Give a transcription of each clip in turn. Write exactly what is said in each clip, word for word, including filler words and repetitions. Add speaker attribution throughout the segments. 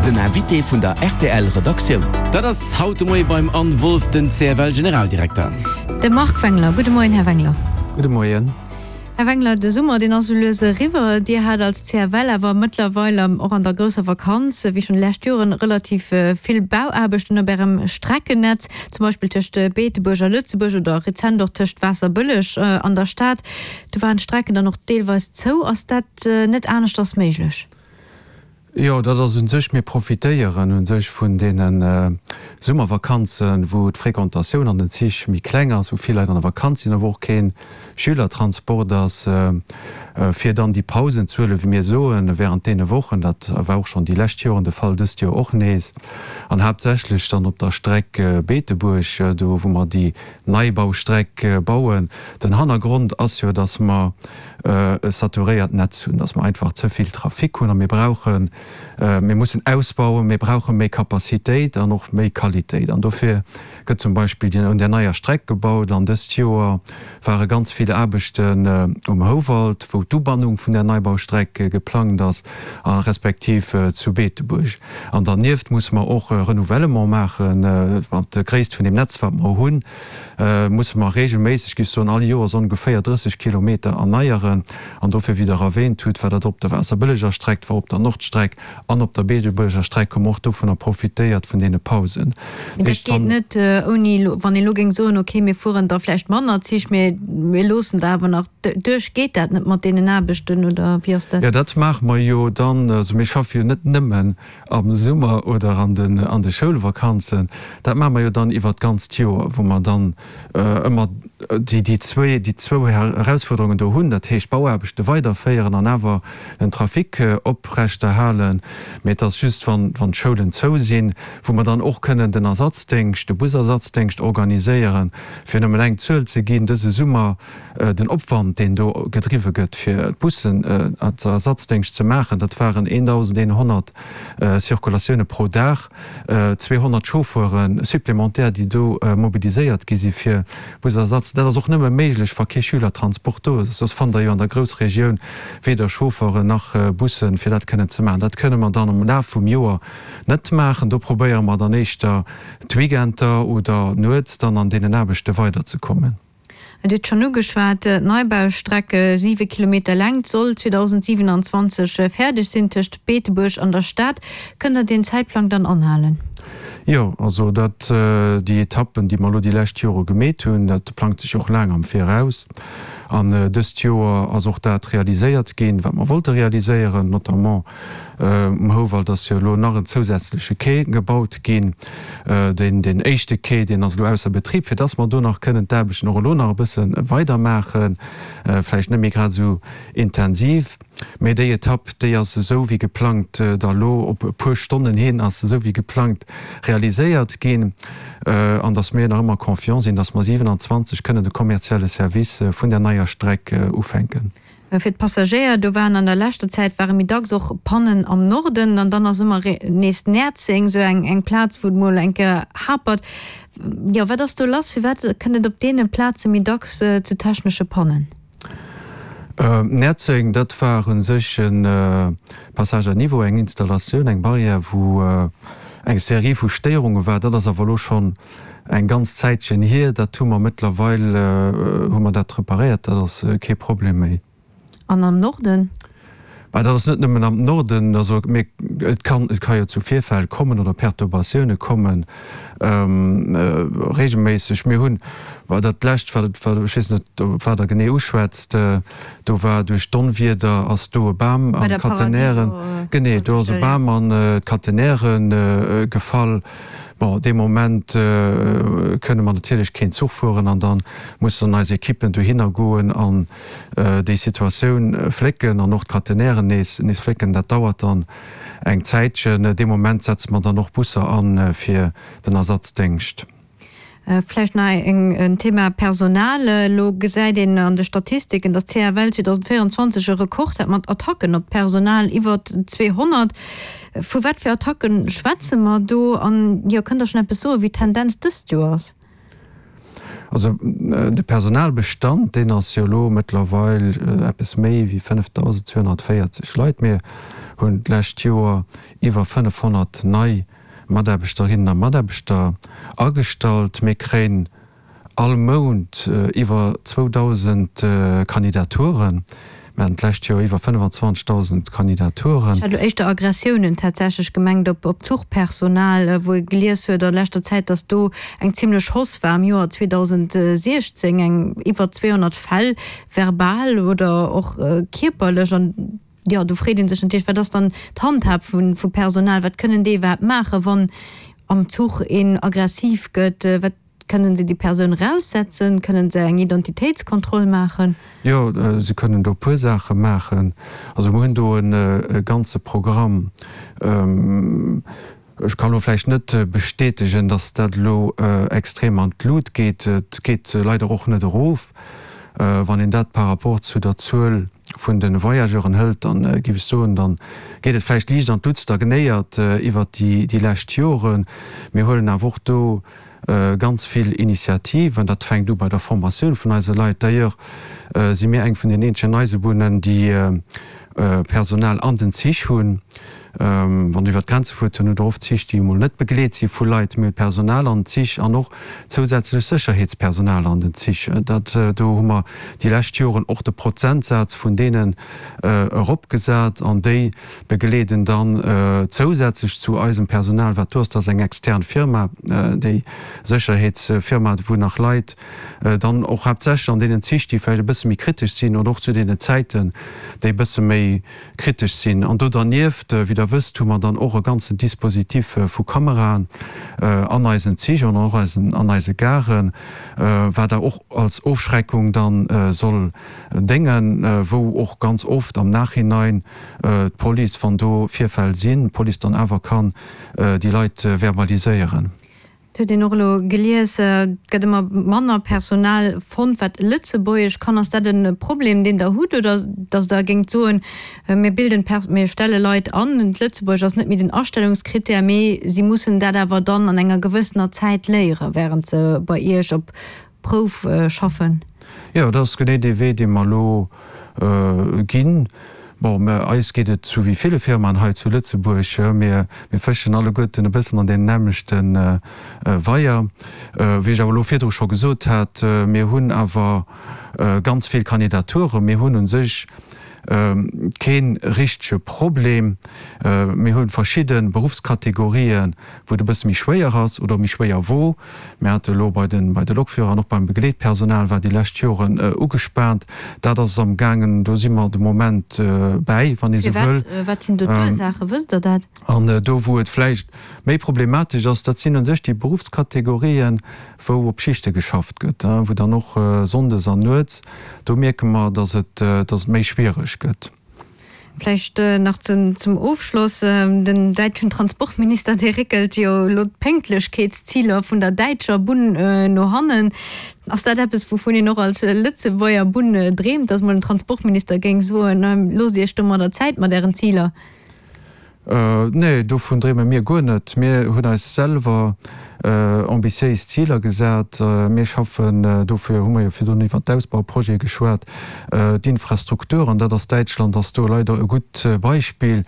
Speaker 1: Den Invité vun der R T L Redaktioun.
Speaker 2: Dat ass haut de Moie beim Anne Wolff, den C F L-Generaldirekter.
Speaker 3: De Marc Wengler. Gudde Moien, Här Wengler.
Speaker 4: Gudde Moien.
Speaker 3: Här Wengler, de Summer, deen ass sou lues eriwwer. Dir hat als C F L awer mëttlerweil och an der grousser Vakanz, wéi schonn lescht Joren, relativ vill Bauaarbechten op Ärem Streckennetz, zum Beispill tëscht Beetebuerg a Lëtzebuerg oder rezent och tëscht Waasserbëlleg an der Stad. Do waren d'Strecken dann och deelweis zou. Ass dat net aneschters méiglech?
Speaker 4: Jo, dat ass un sech, mir profitéieren un sech vun deene Summervakanzen, wou d'Fréquentatioun an den Zich méi kleng ass, wou vill Leit an der Vakanz sinn a wou och kee Schülertransport ass, fir dann déi Pausen ze huelen, wéi mir soen, während deene Wochen. Dat war och schonn déi lescht Joren de Fall, dëst Joer och nees. An haaptsächlech dann op der Streck Beetebuerg, do wou mer déi Neibaustreck bauen. Den Hannergrond ass jo, dass mer e saturéiert Netz hunn, dass mer einfach ze vill Trafic hunn a mir brauchen, mir mussen ausbauen, mir brauche méi Capacitéit an och méi Qualitéit. An dofir gëtt zum Beispill un där neier Streck gebaut an dëst Joer ware ganz vill Aarbechten um Houwald, wou d'Ubannung vun där Neibaustreck geplangt ass, a respektiv zu Beetebuerg. An dernieft musse mer och Renouvellement maachen, mat der Gréisst vun deem Netz, wat mer hunn, musse mer regelméisseg, géif ech soen, all Joers ongeféier drësseg Kilometer erneieren. An dofir, wéi Der erwähnt hutt, war dat op der Waasserbëlleger Streck, war op der Nordstreck an op der Beetebuerger Streck, hu mer och dovunner profitéiert, vun deene Pausen.
Speaker 3: Dat geet net ouni, wann een elo géing soen, okay, mir fueren da vläicht manner Zich, mee mir loossen der awer nach duerch. Geet dat net mat deenen Aarbechten oder wéi ass dat?
Speaker 4: Jo, dat maache mer jo dann. Also mir schaffe jo net nëmmen am Summer oder an den an de Schoulvakanzen. Dat maache mer jo dann iwwert d'ganzt Joer, wou mer dann ëmmer déi déi zwee déi zwou Erausfuerderungen do hunn, dat heescht Bauaarbechte weiderféieren an awer den Trafic oprechterhalen. Mee et ass just, wann wann d'Schoulen zou sinn, wou mer dann och kënnen den Ersatzdéngscht, de Busersatzdéngscht organiséieren. Fir nëmmen eng Zuel ze ginn, dëse Summer den Opwand, deen do gedriwwe gëtt, fir d'Bussen als Ersatzdéngscht ze maachen, dat waren eendausendeenhonnert Circulatioune pro Dag, zweehonnert Chauffeure supplémentaire, déi do mobiliséiert gi si fir Busersatz. Dat ass och nëmme méiglech, wa kee Schülertransport do ass. Soss fannt Der jo an der Groussregioun weder Chauffeuren nach Bussen, fir dat kënnen ze maachen. Dat kënne mer dann am Laf vum Joer net maachen. Do probéiere mer dann éischter d'Weekender oder nuets dann an deenen Aarbechte weiderzekommen.
Speaker 3: Dir hutt schonn ugeschwat, d'Neibaustreck, siwe Kilometer Längt, soll zweedausendsiwenanzwanzeg fäerdeg sinn tëscht Beetebuerg an der Stad. Kënnt Der deen Zäitplang dann anhalen?
Speaker 4: Jo, also dat, déi Etappen, déi mer elo déi lescht Jore gemeet hunn, dat plangt sech och laang am Viraus. An dëst Joer ass och dat realiséiert ginn, wat mer wollte realiséieren, notamment um Houwald ass jo elo nach en zousätzleche Quai gebaut ginn. Deen, deen éischte Quai, deen ass elo ausser Betrib, fir dass mer do nach kënnen d'Aarbechten och elo nach e bësse weidermaachen, vläicht net méi grad esou intensiv. Mä déi Etapp, déi ass esou wéi geplangt da lo op e puer Stonnen hin ass se esou wéi geplangt realiséiert ginn. An dass mir nach ëmmer confiant sinn, dass mer siewenanzwanzeg kënnen de kommerzielle Service vun där neier Streck ufänken.
Speaker 3: Fir d'Passagéier, do waren an der leschter Zäit ware méi dacks och Pannen am Norden an dann ass ëmmer nees Näerzeng esou eng eng Plaz, wou et mol eng Kéier hapert. Jo, wat ass do lass? Firwat kënnt et op deene Plaze méi dacks zu technesche Pannen?
Speaker 4: Näerzeng, dat war u sech e Passage à niveau, eng Installatioun, eng Barrière, wou eng Serie vu Stéierunge war. Dat ass awer elo schonn eng ganz Zäitchen hier. Dat hu mer mëttlerweil hu mer dat reparéiert, dat ass kee Problem méi.
Speaker 3: An am Norden?
Speaker 4: Mä dat ass net nëmmen am Norden. Also mir, et kann, et ka jo zu Virfäll kommen oder Perturbatioune kommen, regelméisseg. Mir hunn, well dat lescht, wat, wat, ech weess net, op wat Der genee uschwätzt, do war duerch d'Onwieder ass do e Bam
Speaker 3: Bei
Speaker 4: an
Speaker 3: der
Speaker 4: d'Catenairen,
Speaker 3: Paradiso
Speaker 4: genee, do ass e
Speaker 3: Haltestell, ja.
Speaker 4: Bam an d'Catenairen gefall. Bon, dee Moment kënne mer natierlech keen Zuch fueren an da mussen eis Ekippen dohinner goen an déi Situatioun flécken an och d'Catenairen nees, nees flécken. Dat dauert dann eng Zäitchen. Dee Moment setze mer dann och Busser an fir den Ersatzdéngscht.
Speaker 3: Vläicht nach en Thema Personal. Elo gesäit een an de Statistiken, datt d'C F L zweedausendvéierenzwanzeg e Rekord hat mat Attacken op d'Personal, iwwer zweehonnert. Vu wat fir Attacke schwätze mer do? An jo, kënnt Der schonn eppes soen, wéi d'Tendenz dëst Joer ass?
Speaker 4: Also de Personalbestand, deen ass jo elo mëttlerweil eppes méi wéi fënnefdausendzweehonnertvéierzeg Leit. Mir hunn d'lescht Joer iwwer fënnefhonnert nei Mataarbechterinnen a Mataarbechter agestallt. Mir kréien all Mount iwwer zweedausend Kandidaturen. Mir haten d'lescht Joer iwwer fënnefenzwanzegdausend Kandidaturen.
Speaker 3: Ech hat elo éischter Aggressiounen tatsächlech gemengt op Zuchpersonal, wou ee gelies huet a leschter Zäit, datt do eng zimlech Hausse war am Joer zweedausentsiechzéng, eng iwwer zweehonnert Fäll, verbal oder och kierperlech. An jo, do freet ee sech natierlech, wat ass dann d'Handhab vu Personal, wat kënnen déi iwwerhaapt maachen, wann am Zuch een aggressiv gëtt, wat Kënnen se déi Persoun eraussetzen? Kënnen se eng Identitéitskontroll maachen?
Speaker 4: Jo, se kënnen do e puer Saache maachen. Also mir hunn do e ganze Programm. Ech kann elo vläicht net bestätegen, datt dat elo extrem an d'Lut geet. Et geet leider och net erof. Wann een dat par rapport zu der Zuel vun de Voyageuren hëlt, dann géif ech soen, da geet et vläicht liicht an d'Lut, stagnéiert iwwert déi lescht Joren. Mir huelen awer och do ganz vill Initiativen. Dat fänkt u bei der Formatioun vun eise Leit. D'ailleurs si mir eng vun den eenzegen Eisebunnen, déi Personal an den Zich hunn. Wann Der iwwer d'Grenze fuert, dann hutt Der oft Zich, déi emol net begleet si vu Leit. Mir hu Personal an den Zich an och zousätzlech Sécherheetspersonal an den Zich. Dat, do hu mer déi lescht Joren och de Prozentsaz vun deenen eropgesat an déi begleeden dann zousätzlech zu eisem Personal, wat do ass, dat ass eng extern Firma, déi Sécherheetsfirma, wou nach Leit dann och haaptsächlech an deenen Zich, déi vläicht e bësse méi kritesch sinn oder och zu deenen Zäiten, déi e bësse méi kritesch sinn. An do dernieft, wéi Der wësst, hu mer dann och e ganzen Dispositif vu Kameraen an eisen Zich an och an eise Garen, wat da och als Ofschreckung dann soll déngen, wou och ganz oft am Nachhinein d'Police, wann do Virfäll sinn, d'Police dann awer kann déi Leit verbaliséieren.
Speaker 3: Et huet een och elo gelies, et gëtt ëmmer manner Personal fonnt, wat Lëtzebuergesch kann. Ass dat e Problem, deen Der hutt, oder datt Der géingt soen, mir bilden, mir stelle Leit an, d'Lëtzebuergesch ass net méi den Astellungskrittär, mee si mussen dat awer dann an enger gewëssener Zäit léieren, wärend se bei Iech op Prouf schaffen?
Speaker 4: Jo, dat ass genee dee Wee, dee mer elo ginn. Bon, mä eis geet et sou wéi ville Firmaen hei zu Lëtzebuerg, mir fëschen alleguerten e bëssen an deem nämmlechte Weier. Wéi ech awer elo virdru scho gesot hat, mir hunn awer ganz vill Kandidaturen, mir hunn u sech kee richtege Problem. Mir hu verschidde Beruffskategorien, wou et e bësse méi schwéier ass oder méi schwéier wor. Mir hate elo bei de bei de Lokführer an och beim Begleetpersonal war déi lescht Joren ugespaant. Dat ass am gaangen, do si mer de Moment bäi, wann ee sou wëll.
Speaker 3: Firwat? Wat sinn do d'Ursaachen? Wësst Der dat?
Speaker 4: An do, wou et vläicht méi problematesch ass, dat sinn u sech déi Beruffskategorien, wou op Schichte geschafft gëtt, wou dann och sonndes an nuets, do mierke mer, dass et, dass et méi schwiereg gëtt.
Speaker 3: Vläicht nach zum, zum Ofschloss, Den däitschen Transportminister, dee réckelt jo elo d'Pénktlechkeetsziler vun der däitscher Bunn no hannen. Ass dat eppes, wouvun een och als Lëtzebuerger Bunn dreemt, dass mol en Transportminister géing soen, Loosst Iech domadder Zäit mat Ären Ziler?
Speaker 4: Nee, dovun dreeme mir guer net. Mir hunn eis selwer ambitiéis Ziler gesat. Mir schaffen, dofir hu mer jo virdrun iwwert d'Ausbauprojete geschwat, d'Infrastruktur, an dat ass, Däitschland ass do leider e gutt Beispill,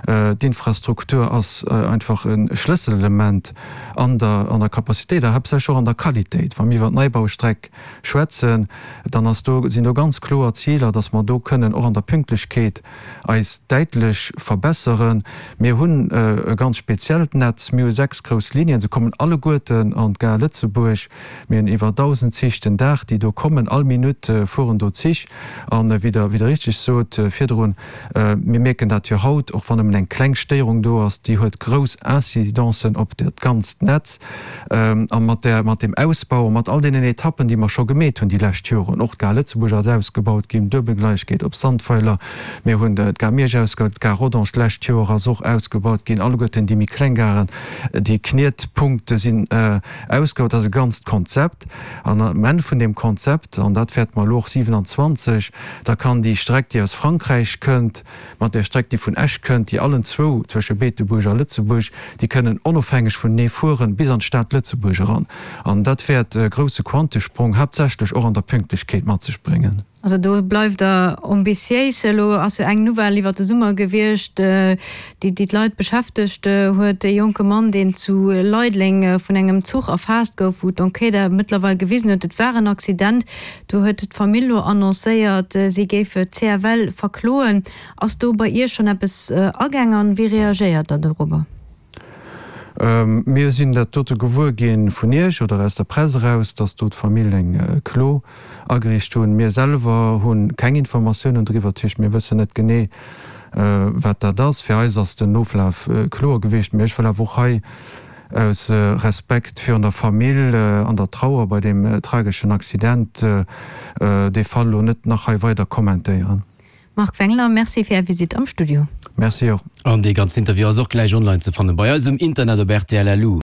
Speaker 4: d'Infrastruktur ass einfach e Schlësselelement an der an der Capacitéit a haaptsächlech och an der Qualitéit. Wa mir iwwer d'Neibaustreck schwätzen, dann ass do, sinn do ganz kloer Ziler, dass mer do kënnen och an der Pünktlechkeet eis däitlech verbesseren. Mir hunn e ganz speziellt Netz. Mir hu sechs grouss Linien. Se kommen alleguerten an d'Gare Lëtzebuerg. Mir hunn iwwer dausend Zich den Dag, déi do kommen. All Minutt fueren do Zich. An wéi Der, wéi Der richteg sot virdrun, mir mierken dat jo haut, och wann nëmmen eng kleng Stéierung do ass, déi huet grouss Incidencen op dat ganzt Netz. A mat där, mat deem Ausbau a mat all deenen Etappen, déi mer scho gemeet hunn déi lescht Joren, och d'Gare Lëtzebuerg ass ausgebaut ginn, Duebelgleichkeet op Sandweiler, mir hunn d'Gare Miersch ausgebaut, d'Gare Rodange d'lescht Joer ass och ausgebaut ginn, alleguerten déi méi kleng Garen, déi Knietpunkte sinn sinn ausgebaut. Dat ass e ganzt Konzept. An am Enn vun deem Konzept, an dat wäerte mer elo och siwenanzwanzeg, da kann déi Streck, déi aus Frankräich kënnt, mat där Streck, déi vun Esch kënnt, déi allen zwou zwësche Beetebuerg a Lëtzebuerg, déi kënnen onofhängeg vunenee fueren bis an d'Stad Lëtzebuerg eran. An dat wäert e grousse Quantesprong, haaptsächlech och an der Pünktlechkeet, mat sech bréngen.
Speaker 3: Also do bleift Der ambitiéis. Elo ass jo eng Nouvelle iwwer de Summer gewiescht, déi déi d'Leit beschäftegt huet, E jonke Mann, deen zu Leideleng vun engem Zuch erfaasst gouf, wou d'Enquête mëttlerweil gewisen huet, et war en Accident. Do huet d'Famill elo annoncéiert, si géif d'CFL verkloen. Ass do bei Iech schonn eppes agaang an wéi reagéiert Der dorobber?
Speaker 4: Mir sinn dat dote gewuer gi vun Iech oder aus der Press eraus, dass do d'Famill eng Klo ageriicht hunn. Mir selwer hu keng Informatiounen driwwer, dat heescht mir wëssen net genee, wat dat ass. Fir eis ass den Oflaf kloer gewiescht, mee ech wëll awer och hei aus Respekt virun der Famill an der Trauer bei deem trageschen Accident dee Fall elo net nach hei weider kommentéieren.
Speaker 3: Marc Wengler, Merci fir Är Visitt am Studio.
Speaker 4: Merci och.
Speaker 2: An dee ganzen Interview ass och gläich online ze fannen bei eis um Internet op rtl. Lu.